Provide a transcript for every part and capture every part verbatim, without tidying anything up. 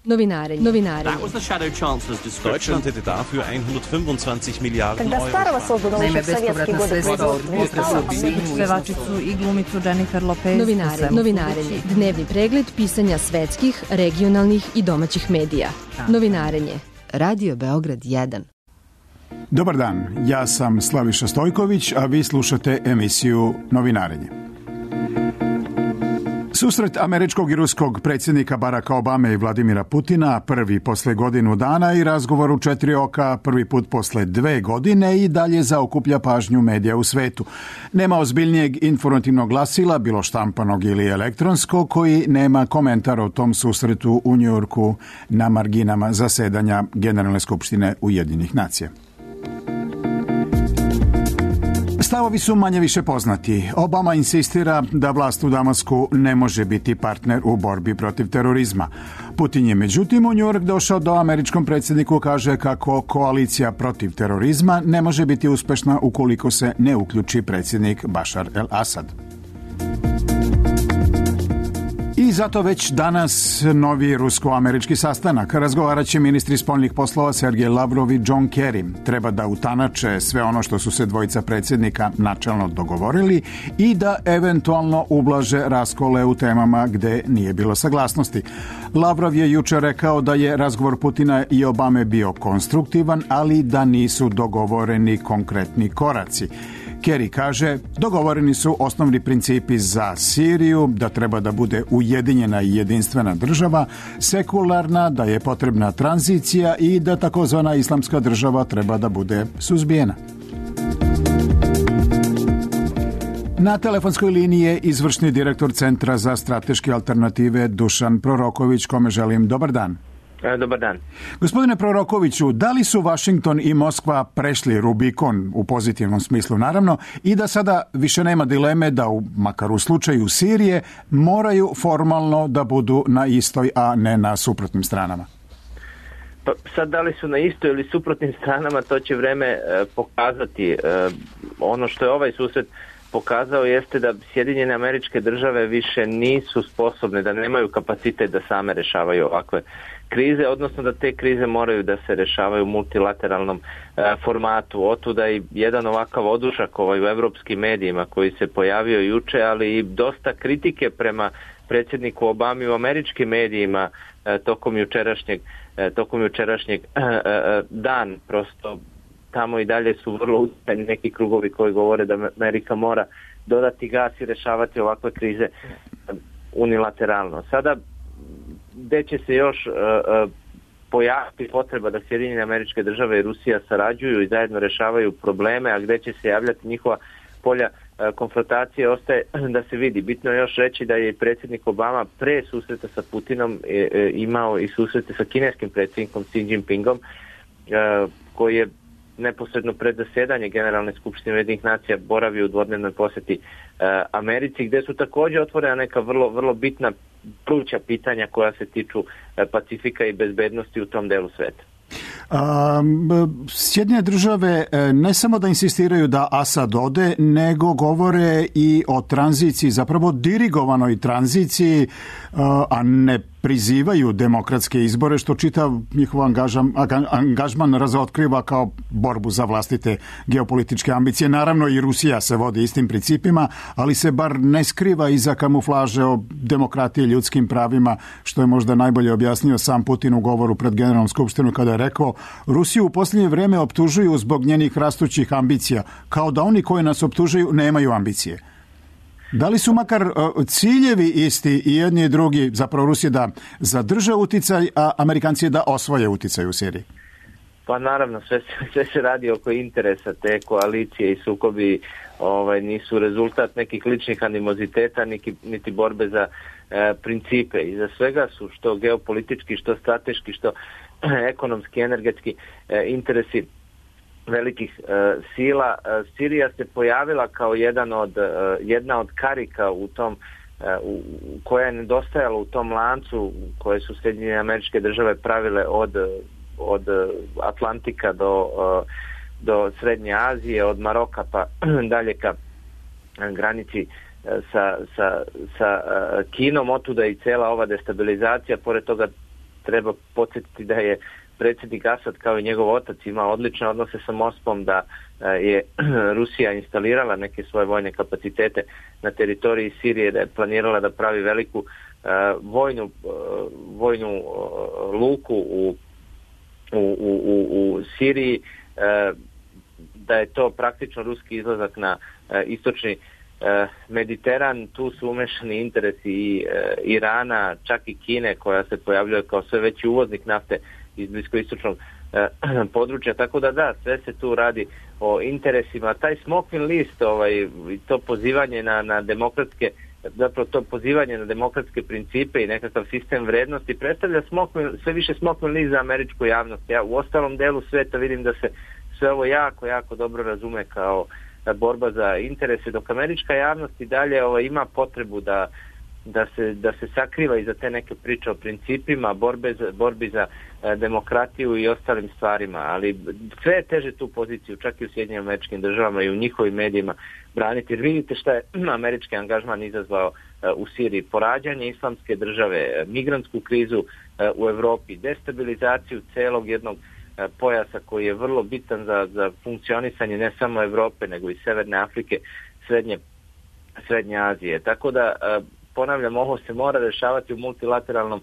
Novinarenje. Novinarenje. Deutschland hätte dafür hundertfünfundzwanzig Miliarden Euro. Naime, bespovratna sredstva od pevačicu i glumicu Jennifer Lopez. Novinarenje. Novinarenje. Dnevni pregled pisanja svetskih, regionalnih i domaćih medija. Novinarenje. Radio Beograd jedan. Dobar dan, ja sam Slaviša Stojković, a vi slušate emisiju Novinarenje. Susret američkog i ruskog predsjednika Baracka Obame i Vladimira Putina, prvi posle godinu dana, i razgovor u četiri oka, prvi put posle dve godine, i dalje zaokuplja pažnju medija u svetu. Nema ozbiljnijeg informativnog glasila, bilo štampanog ili elektronskog, koji nema komentar o tom susretu u Njujorku na marginama zasedanja Generalne skupštine Ujedinjenih nacija. Stavovi su manje više poznati. Obama insistira da vlast u Damasku ne može biti partner u borbi protiv terorizma. Putin je međutim u Njujork došao do američkom predsjedniku, kaže kako koalicija protiv terorizma ne može biti uspešna ukoliko se ne uključi predsjednik Bašar el-Asad. I zato već danas novi rusko-američki sastanak. Razgovarat će ministri spoljnih poslova Sergej Lavrov i John Kerry. Treba da utanače sve ono što su se dvojica predsjednika načelno dogovorili i da eventualno ublaže raskole u temama gde nije bilo saglasnosti. Lavrov je jučer rekao da je razgovor Putina i Obame bio konstruktivan, ali da nisu dogovoreni konkretni koraci. Kerry kaže, dogovoreni su osnovni principi za Siriju, da treba da bude ujedinjena i jedinstvena država, sekularna, da je potrebna tranzicija i da takozvana islamska država treba da bude suzbijena. Na telefonskoj liniji je izvršni direktor Centra za strateške alternative Dušan Proroković, kome želim dobar dan. Dobar dan. Gospodine Prorokoviću, da li su Vašington i Moskva prešli Rubikon u pozitivnom smislu, naravno, i da sada više nema dileme da, u, makar u slučaju Sirije, moraju formalno da budu na istoj, a ne na suprotnim stranama? Pa sad, da li su na istoj ili suprotnim stranama, to će vreme e, pokazati. E, ono što je ovaj susret pokazao jeste da Sjedinjene Američke Države više nisu sposobne, da nemaju kapacitet da same rešavaju ovakve krize, odnosno da te krize moraju da se rešavaju u multilateralnom e, formatu. Otuda i jedan ovakav odušak ovaj u evropskim medijima koji se pojavio juče, ali i dosta kritike prema predsjedniku Obami u američkim medijima e, tokom jučerašnjeg, e, tokom jučerašnjeg e, e, dan. Prosto tamo i dalje su vrlo utjecajni neki krugovi koji govore da Amerika mora dodati gas i rešavati ovakve krize unilateralno. Sada, gde će se još uh, uh, pojaviti potreba da Sjedinjene Američke Države i Rusija sarađuju i zajedno rešavaju probleme, a gde će se javljati njihova polja uh, konfrontacije, ostaje da se vidi. Bitno je još reći da je predsjednik Obama pre susreta sa Putinom uh, imao i susrete sa kineskim predsjednikom Xi Jinpingom, uh, koji je neposredno pred zasedanje Generalne skupštine Ujedinjenih nacija boravio u dvodnevnoj posjeti uh, Americi, gde su također otvorena neka vrlo, vrlo bitna pluća pitanja koja se tiču uh, Pacifika i bezbednosti u tom delu sveta. Um, Sjedinjene države ne samo da insistiraju da Asad ode, nego govore i o tranziciji, zapravo dirigovanoj tranziciji, uh, a ne prizivaju demokratske izbore, što čitav njihov angažman, angažman razotkriva kao borbu za vlastite geopolitičke ambicije. Naravno i Rusija se vodi istim principima, ali se bar ne skriva iza kamuflaže o demokratiji i ljudskim pravima, što je možda najbolje objasnio sam Putin u govoru pred Generalnom skupštinom kada je rekao, Rusiju u posljednje vrijeme optužuju zbog njenih rastućih ambicija, kao da oni koji nas optužuju nemaju ambicije. Da li su makar ciljevi isti i jedni i drugi, zapravo Rusija da zadrže uticaj, a Amerikanci da osvoje uticaj u Siriji? Pa naravno, sve, sve se radi oko interesa. Te koalicije i sukobi ovaj, nisu rezultat nekih ličnih animoziteta, niti, niti borbe za e, principe. Iza svega su što geopolitički, što strateški, što ekonomski, energetski e, interesi velikih e, sila. E, Sirija se pojavila kao jedan od, e, jedna od karika u tom e, u, koja je nedostajala u tom lancu koje su Sjedinjene Američke Države pravile od, od Atlantika do, do Srednje Azije, od Maroka pa dalje ka granici sa, sa, sa Kinom. Otuda i cela ova destabilizacija. Pored toga treba podsjetiti da je predsjednik Asad kao i njegov otac imao odlične odnose sa Moskvom, da je Rusija instalirala neke svoje vojne kapacitete na teritoriji Sirije, da je planirala da pravi veliku uh, vojnu, uh, vojnu uh, luku u, u, u, u Siriji, uh, da je to praktično ruski izlazak na uh, istočni uh, Mediteran. Tu su umešani interesi i uh, Irana, čak i Kine, koja se pojavljuje kao sve veći uvoznik nafte iz bliskoistočnog uh, područja, tako da da, sve se tu radi o interesima. Taj smokvin list, ovaj, to pozivanje na, na demokratske, zapravo to pozivanje na demokratske principe i nekakav sistem vrednosti predstavlja smokvin, sve više smokvin list za američku javnost. Ja u ostalom delu sveta vidim da se sve ovo jako, jako dobro razume kao borba za interese, dok američka javnost i dalje ovaj, ima potrebu da da se, da se sakriva iza te neke priče o principima, borbe za, borbi za e, demokratiju i ostalim stvarima, ali sve je teže tu poziciju, čak i u Sjedinjenim Američkim Državama i u njihovim medijima braniti, jer vidite šta je američki angažman izazvao e, u Siriji, porađanje islamske države, e, migrantsku krizu e, u Evropi, destabilizaciju celog jednog e, pojasa koji je vrlo bitan za, za funkcionisanje ne samo Evrope, nego i Severne Afrike, Srednje, Srednje Azije. Tako da e, ponavljam, ovo se mora rešavati u multilateralnom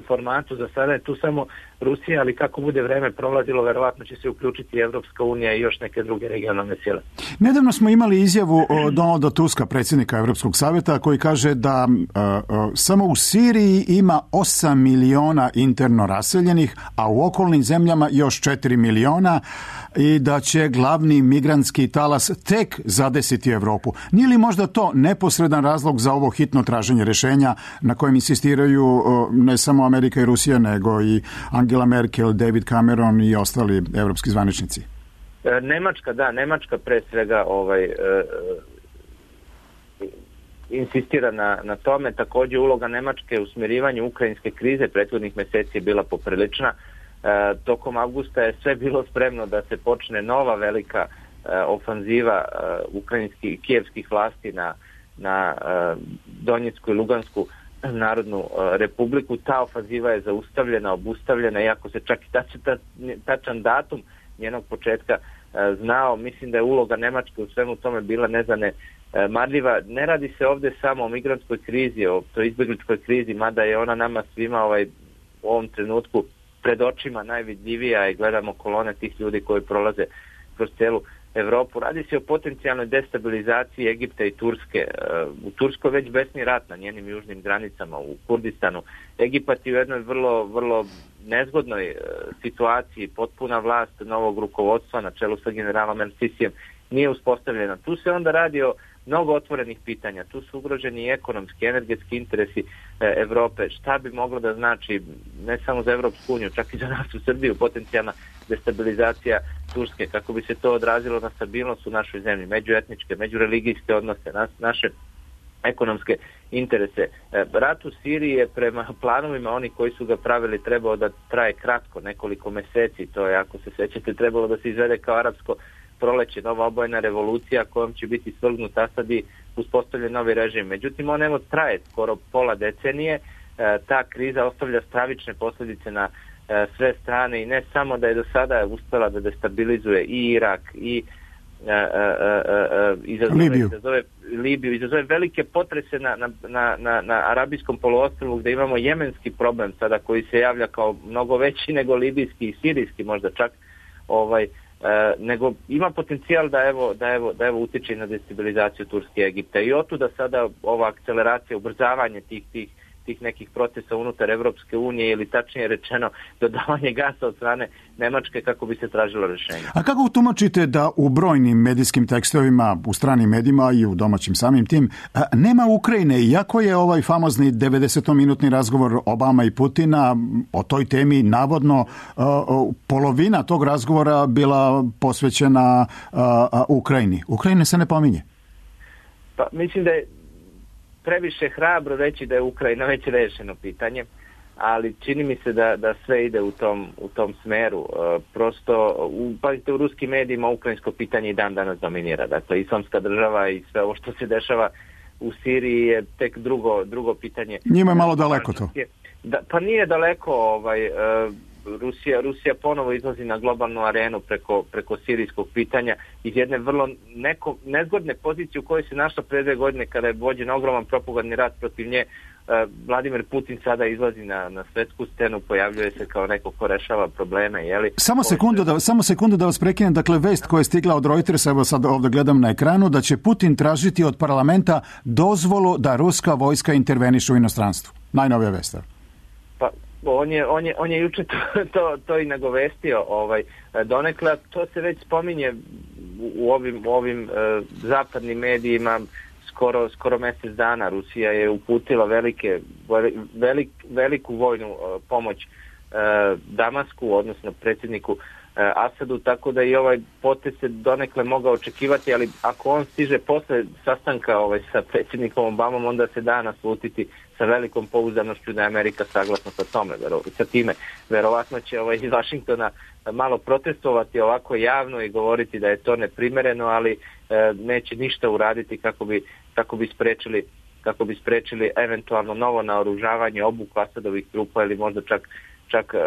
formatu. Za sada je tu samo Rusija, ali kako bude vreme prolazilo, verovatno će se uključiti Evropska unija i još neke druge regionalne sile. Nedavno smo imali izjavu od Donalda Tuska, predsjednika Evropskog savjeta, koji kaže da uh, uh, samo u Siriji ima osam miliona interno raseljenih, a u okolnim zemljama još četiri miliona i da će glavni migrantski talas tek zadesiti Evropu. Nije li možda to neposredan razlog za ovo hitno traženje rješenja na kojem insistiraju uh, ne samo Amerika i Rusija, nego i Angela Merkel, David Cameron i ostali evropski zvaničnici? Nemačka, da, Nemačka pre svega ovaj, e, insistira na, na tome. Također uloga Nemačke u smirivanju ukrajinske krize prethodnih mjeseci je bila poprilična. E, tokom avgusta je sve bilo spremno da se počne nova velika e, ofanziva e, ukrajinskih i kijevskih vlasti na, na e, Donjecku i Lugansku Narodnu republiku. Ta ofanziva je zaustavljena, obustavljena, iako se čak i tačan, tačan datum njenog početka znao. Mislim da je uloga Nemačke u svemu tome bila nezane marljiva. Ne radi se ovdje samo o migrantskoj krizi, o toj izbjegličkoj krizi, mada je ona nama svima ovaj, u ovom trenutku pred očima najvidljivija i gledamo kolone tih ljudi koji prolaze kroz celu Evropu. Radi se o potencijalnoj destabilizaciji Egipta i Turske. U Turskoj već besni rat na njenim južnim granicama, u Kurdistanu. Egipat je u jednoj vrlo, vrlo nezgodnoj situaciji, potpuna vlast novog rukovodstva na čelu sa generalom El-Sisijem nije uspostavljena. Tu se onda radi o mnogo otvorenih pitanja. Tu su ugroženi i ekonomski, energetski interesi e, Evrope. Šta bi moglo da znači ne samo za Evropsku uniju, čak i za nas u Srbiju, potencijalna destabilizacija Turske, kako bi se to odrazilo na stabilnost u našoj zemlji, međuetničke, međureligijske odnose, nas, naše ekonomske interese. E, rat u Siriji je prema planovima oni koji su ga pravili trebao da traje kratko, nekoliko meseci. To je, ako se sećate, trebalo da se izvede kao arapsko proleće, nova obojna revolucija kojom će biti svrgnut Asad i uspostavljen novi režim. Međutim, on evo traje skoro pola decenije. E, ta kriza ostavlja stravične posljedice na e, sve strane i ne samo da je do sada uspela da destabilizuje i Irak i e, e, e, izazove, Libiju. izazove Libiju, izazove velike potrese na, na, na, na, na Arabijskom poluostrvu gdje imamo jemenski problem sada koji se javlja kao mnogo veći nego libijski i sirijski možda čak ovaj E, nego ima potencijal da evo, da evo, da evo utječe na destabilizaciju Turske i Egipta i otuda sada ova akceleracija, ubrzavanje tih, tih, tih nekih procesa unutar Evropske unije ili tačnije rečeno dodavanje gasa od strane Nemačke kako bi se tražilo rješenje. A kako tumačite da u brojnim medijskim tekstovima, u stranim medijima i u domaćim samim tim, nema Ukrajine, iako je ovaj famozni devedesetominutni razgovor Obama i Putina o toj temi navodno polovina tog razgovora bila posvećena Ukrajini. Ukrajine se ne pominje. Pa mislim da je previše hrabro reći da je Ukrajina već rešeno pitanje, ali čini mi se da, da sve ide u tom, u tom smeru. E, prosto, u, pazite, u ruskim medijima ukrajinsko pitanje i dan danas dominira. Dakle, islamska država i sve ovo što se dešava u Siriji je tek drugo, drugo pitanje. Njima je malo daleko to. Da, pa nije daleko ovaj, e, Rusija, Rusija ponovo izlazi na globalnu arenu preko, preko sirijskog pitanja iz jedne vrlo neko, nezgodne pozicije u kojoj se našla pre dve godine kada je vođen ogroman propagandni rat protiv nje. Vladimir Putin sada izlazi na, na svetsku scenu, pojavljuje se kao neko ko rešava probleme. Jeli? Samo sekundu, da, samo sekundu da vas prekinem. Dakle, vest koja je stigla od Reutersa, evo sad ovdje gledam na ekranu, da će Putin tražiti od parlamenta dozvolu da ruska vojska interveniše u inostranstvu. Najnovija vest. Pa, on je, on je, on je juče to, to, to i nagovestio. Ovaj, donekle, to se već spominje u ovim, u ovim uh, zapadnim medijima. Skoro, skoro mjesec dana Rusija je uputila velike, velik, veliku vojnu uh, pomoć uh, Damasku, odnosno predsjedniku uh, Asadu, tako da i ovaj potez se donekle mogao očekivati, ali ako on stiže posle sastanka ovaj, sa predsjednikom Obamom, onda se da naslutiti sa velikom pouzdanošću da je Amerika saglasna sa tome, vero, sa time. Verovatno će ovaj, iz Vašingtona malo protestovati ovako javno i govoriti da je to neprimereno, ali e, neće ništa uraditi kako bi, kako bi sprečili kako bi sprečili eventualno novo naoružavanje, obuku Asadovih trupa ili možda čak, čak e,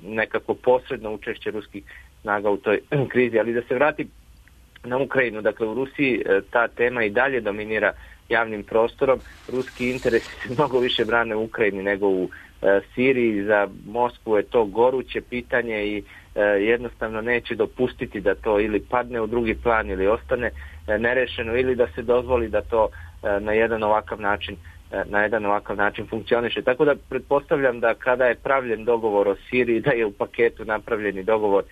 nekako posredno učešće ruskih snaga u toj krizi. Ali da se vrati na Ukrajinu, dakle u Rusiji e, ta tema i dalje dominira javnim prostorom. Ruski interesi se mnogo više brane u Ukrajini nego u e, Siriji. Za Moskvu je to goruće pitanje i e, jednostavno neće dopustiti da to ili padne u drugi plan ili ostane e, nerešeno ili da se dozvoli da to e, na jedan ovakav način e, na jedan ovakav način funkcioniše. Tako da pretpostavljam da kada je pravljen dogovor o Siriji, da je u paketu napravljeni dogovor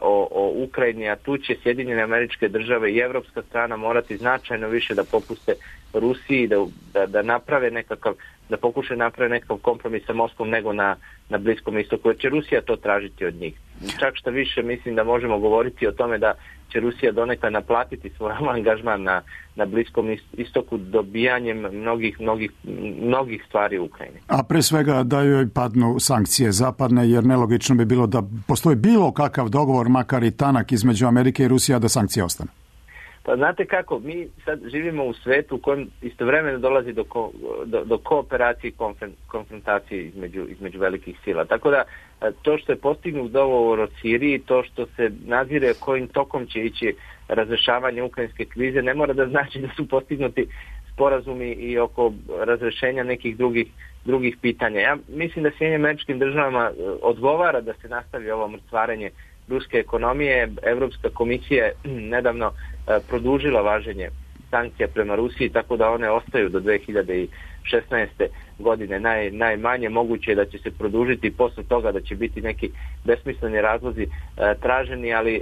O, o Ukrajini, a tu će Sjedinjene Američke Države i evropska strana morati značajno više da popuste Rusiji, da, da, da naprave nekakav, da pokušaju naprave nekakav kompromis sa Moskvom nego na, na Bliskom istoku, jer će Rusija to tražiti od njih. Čak što više mislim da možemo govoriti o tome da će Rusija donekle naplatiti svoj angažman na, na Bliskom istoku dobijanjem mnogih, mnogih, mnogih stvari u Ukrajini. A pre svega da joj padnu sankcije zapadne, jer nelogično bi bilo da postoji bilo kakav dogovor, makar i tanak, između Amerike i Rusije, da sankcije ostane. Pa znate kako, mi sad živimo u svetu u kojem istovremeno dolazi do, ko, do, do kooperacije i konfrontacije između, između velikih sila. Tako da to što je postignut dogovor o Siriji, to što se nadzire kojim tokom će ići razrešavanje ukrajinske krize, ne mora da znači da su postignuti sporazumi i oko razrešenja nekih drugih, drugih pitanja. Ja mislim da Sjedinjenim Američkim Državama odgovara da se nastavi ovo mrcvarenje ruske ekonomije. Evropska komisija je nedavno produžila važenje sankcija prema Rusiji, tako da one ostaju do dve hiljade šesnaeste. godine. Naj, najmanje moguće je da će se produžiti i posle toga da će biti neki besmisleni razlozi e, traženi, ali e,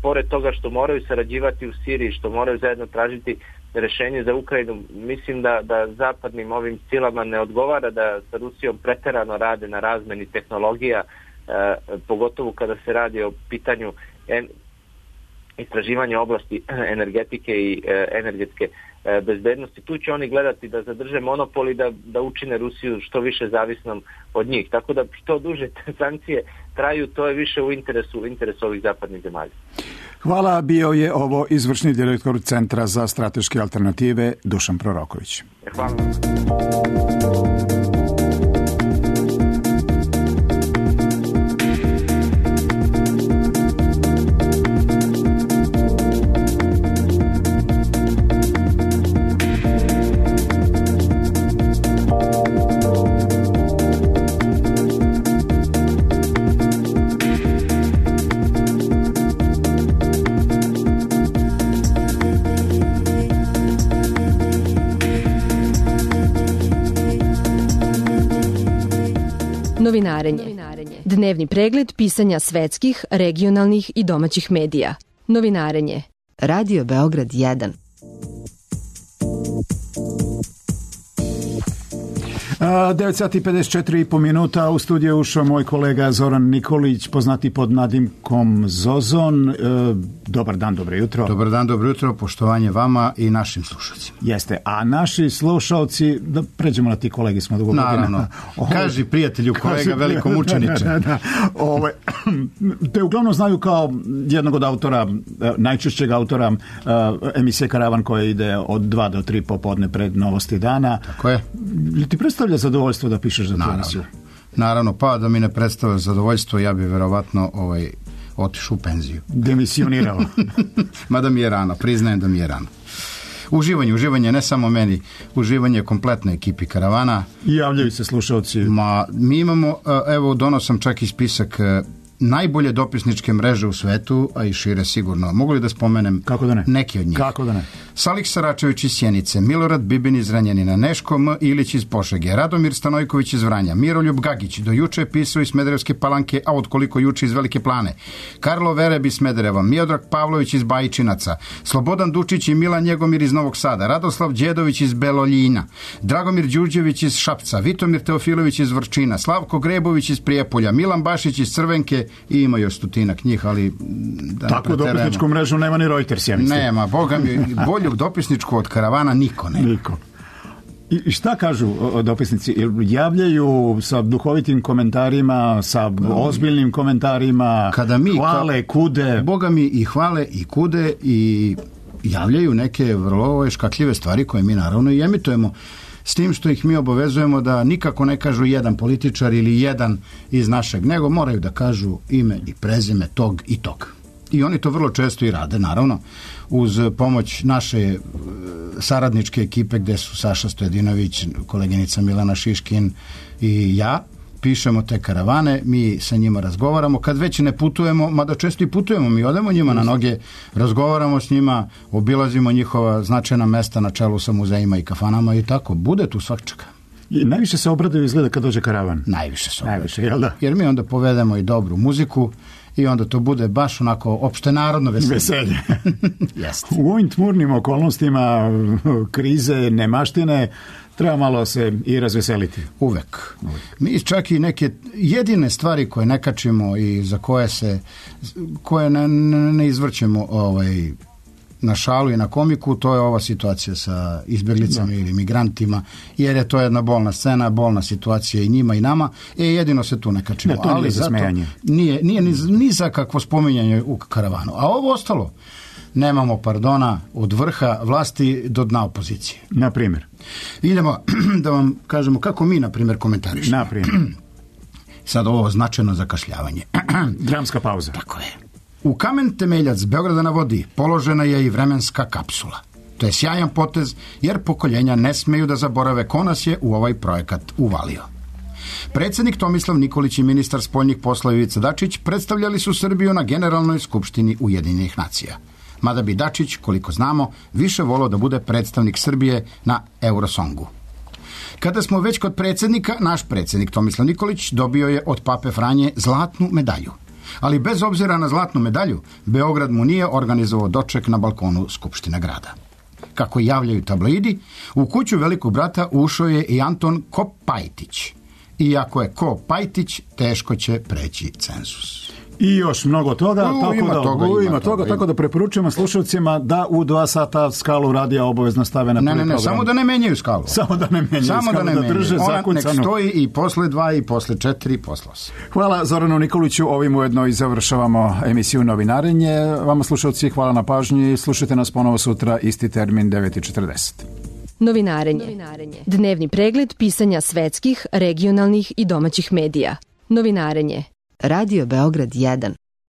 pored toga što moraju sarađivati u Siriji, što moraju zajedno tražiti rešenje za Ukrajinu, mislim da, da zapadnim ovim silama ne odgovara da sa Rusijom preterano rade na razmeni tehnologija, e, pogotovo kada se radi o pitanju en, istraživanja oblasti energetike i e, energetske e, bezbednosti. Tu će oni gledati da zadrže monopol i da, da učine Rusiju što više zavisnom od njih. Tako da što duže sankcije traju, to je više u interesu, u interesu ovih zapadnih zemalja. Hvala, bio je ovo izvršni direktor Centra za strateške alternative Dušan Proroković. Hvala. Novinarenje. Dnevni pregled pisanja svetskih, regionalnih i domaćih medija. Novinarenje. Radio Beograd jedan. devet sati i pedeset četiri i po minuta, u studiju ušao moj kolega Zoran Nikolić, poznati pod nadimkom Zozon. E, dobar dan, dobro jutro. Dobar dan, dobro jutro, poštovanje vama i našim slušalcima. Jeste, a naši slušalci, da pređemo na ti kolegi, smo dugo godina. Naravno, kaži prijatelju, kolega, kaži, veliko mučeniče. Da, da, da. Ove, te uglavnom znaju kao jednog od autora, najčešćeg autora emisije Karavan koja ide od dva do tri popodne pred Novosti dana. Tako je. Li ti predstavlja zadovoljstvo da pišeš za tu emisiju? Naravno, pa da mi ne predstavlja zadovoljstvo, ja bi verovatno ovaj, otišao u penziju. Demisionirao. Mada mi je rano, priznajem da mi je rano. Uživanje, uživanje ne samo meni, uživanje kompletne ekipi Karavana. I javljaju se slušalci. Ma, mi imamo, evo, donosam čak i spisak najbolje dopisničke mreže u svetu, a i šire sigurno. Mogu li da spomenem Kako da ne? neki od njih? Kako da ne? Salih Saračević iz Sjenice, Milorad Bibin iz Zrenjanina, Neško M. Ilić iz Požege, Radomir Stanojković iz Vranja, Miroljub Gagić, do juče je pisao iz Smederevske Palanke, a od koliko juče iz Velike Plane, Karlo Vereb iz Smedereva, Miodrag Pavlović iz Bajčinaca, Slobodan Dučić i Milan Njegomir iz Novog Sada, Radoslav Đedović iz Beloljina, Dragomir Đurđević iz Šapca, Vitomir Teofilović iz Vrčina, Slavko Grebović iz Prijepolja, Milan Bašić iz Crvenke i ima još stotinak njih, ali da takvu dopisničku mrežu nema ni Reuters, ja mislim. Nema, boga mi, bolju dopisničku od Karavana niko ne. Niko. I šta kažu dopisnici? Javljaju sa duhovitim komentarima, sa ozbiljnim komentarima, kada mi, hvale, ka, kude? Boga mi i hvale i kude i javljaju neke vrlo škakljive stvari koje mi naravno i emitujemo. S tim što ih mi obavezujemo da nikako ne kažu jedan političar ili jedan iz našeg, nego moraju da kažu ime i prezime tog i tog. I oni to vrlo često i rade, naravno, uz pomoć naše saradničke ekipe gde su Saša Stojedinović, koleginica Milana Šiškin i ja. Pišemo te karavane, mi sa njima razgovaramo, kad već ne putujemo, mada često i putujemo, mi odemo njima na noge, razgovaramo s njima, obilazimo njihova značajna mesta na čelu sa muzejima i kafanama i tako, bude tu svakčega. I najviše se obraduju izgleda kad dođe karavan. Najviše se obraduju. Najviše, jel da? Jer mi onda povedemo i dobru muziku i onda to bude baš onako opšte narodno veselje. Veselje. Jeste. U ovim tmurnim okolnostima krize, nemaštine, treba malo se i razveseliti. Uvek. Mi čak i neke jedine stvari koje ne kačimo i za koje se koje ne, ne, ne izvrćemo ovaj, na šalu i na komiku, to je ova situacija sa izbjeglicama da. ili migrantima, jer je to jedna bolna scena, bolna situacija i njima i nama, e jedino se tu ne kačimo. Ne, to nije ali za smejanje. Nije, nije ni, ni za kakvo spominjanje u karavanu. A ovo ostalo, nemamo pardona od vrha vlasti do dna opozicije. Na primjer? Idemo da vam kažemo kako mi, na primjer, komentarišemo. Na primjer. Sad ovo značajno zakašljavanje. Dramska pauza. Tako je. U kamen temeljac Beograda na vodi položena je i vremenska kapsula. To je sjajan potez, jer pokoljenja ne smeju da zaborave ko nas je u ovaj projekat uvalio. Predsjednik Tomislav Nikolić i ministar spoljnih poslova Ivica Dačić predstavljali su Srbiju na Generalnoj skupštini Ujedinjenih nacija. Mada bi Dačić, koliko znamo, više volao da bude predstavnik Srbije na Eurosongu. Kada smo već kod predsjednika, naš predsjednik Tomislav Nikolić dobio je od Pape Franje zlatnu medalju. Ali bez obzira na zlatnu medalju, Beograd mu nije organizovao doček na balkonu Skupštine grada. Kako javljaju tabloidi, u kuću velikog brata ušao je i Anton Kopajtić. Iako je Kopajtić, teško će preći cenzus. I još mnogo toga, u, tako, ima da, toga, u, ima ima toga, toga, tako da preporučujemo slušalcima da u dva sata Skalu radija obavezno stave na prvi ne, ne, ne, program. Samo da ne menjaju Skalu. Samo da ne menjaju samo Skalu, da, ne da drže Ona zakucanu. nek stoji i posle dva, i posle četiri, i posle osam. Hvala Zoranu Nikoliću, ovim ujedno i završavamo emisiju Novinarenje. Vama slušalci, hvala na pažnji, slušajte nas ponovo sutra, isti termin, devet i četrdeset. Novinarenje. Novinarenje. Dnevni pregled pisanja svetskih, regionalnih i domaćih medija. Novinarenje. Radio Beograd jedan.